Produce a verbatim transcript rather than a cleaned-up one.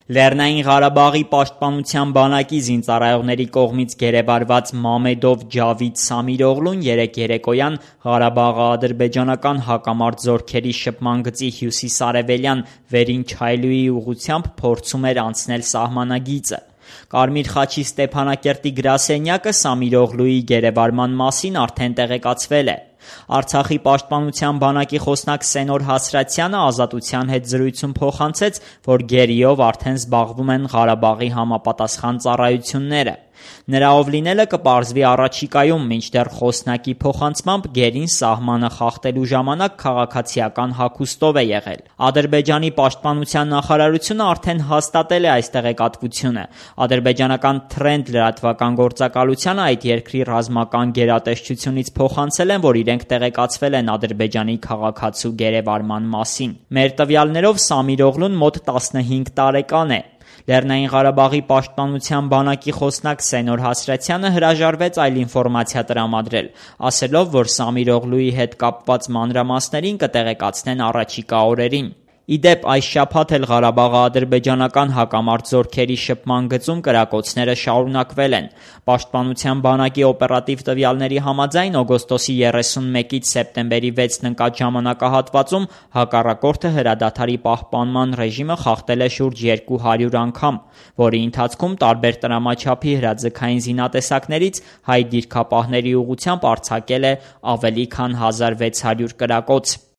Լեռնային Ղարաբաղի պաշտպանության բանակի զինծառայողների կողմից գերեվարված Մամեդով Ջավիդ Սամիրօղլուն երեկ երեկոյան Ղարաբաղի ադրբեջանական հակամարտ զորքերի շփման գծի հյուսիս-արևելյան վերին Չայլուի ուղղությամբ փորձում էր անցնել սահմանագիծը։ Կարմիր խաչի Ստեփանակերտի գրասենյակը Սամիրօղլուի գերեվարման մասին արդեն տեղեկացվել է։ Արցախի պաշտպանության բանակի խոսնակ Սենոր Հասրատյանը Ազատության հետ զրույցում փոխանցեց, որ գերիով արդեն զբաղվում են Ղարաբաղի համապատասխան ծառայությունները։ Նրա ով լինելը կպարզվի առաջիկայում, մինչդեռ խոսնակի փոխանցմամբ գերին սահմանը խախտելու ժամանակ քաղաքացիական հագուստով է եղել։ Ադրբեջանի պաշտպանության նախարարությունը արդեն հաստատել է այս տեղեկատվությունը։ Ադրբեջանական Թրենդ լրատվական գործակալությանը այդ երկրի ռազմական գերատեսչությունից փոխանցել են, որ իրենք տեղեկացվել են Ադրբեջանի քաղաքացու գերեվարման մասին։ Մեր տվյալներով Սամիրօղլուն մոտ տասնհինգ տարեկան է։ Լեռնային Ղարաբաղի պաշտպանության բանակի խոսնակ Սենոր Հասրատյանը հրաժարվեց այլ ինֆորմացիա տրամադրել, ասելով, որ Սամիրօղլուի հետ կապված մանրամասներին կտեղեկացնեն առաջիկա օրերին։ Ի դեպ, այս շաբաթ էլ Ղարաբաղի ադրբեջանական հակամարտ զորքերի շփման գծում կրակոցները շարունակվել են։ Պաշտպանության բանակի օպերատիվ տվյալների համաձայն օգոստոսի երեսունմեկից սեպտեմբերի վեցն ընկած ժամանակահատվածում հակառակորդը հրադադարի պահպանման ռեժիմը խախտել է շուրջ երկու հարյուր անգամ, որի ընթացքում տարբեր տրամաչափի հրաձգային զինատեսակներից հայ դիրքապահների ուղղությամբ արձակել է ավելի քան հազար վեց հարյուր կրակոց։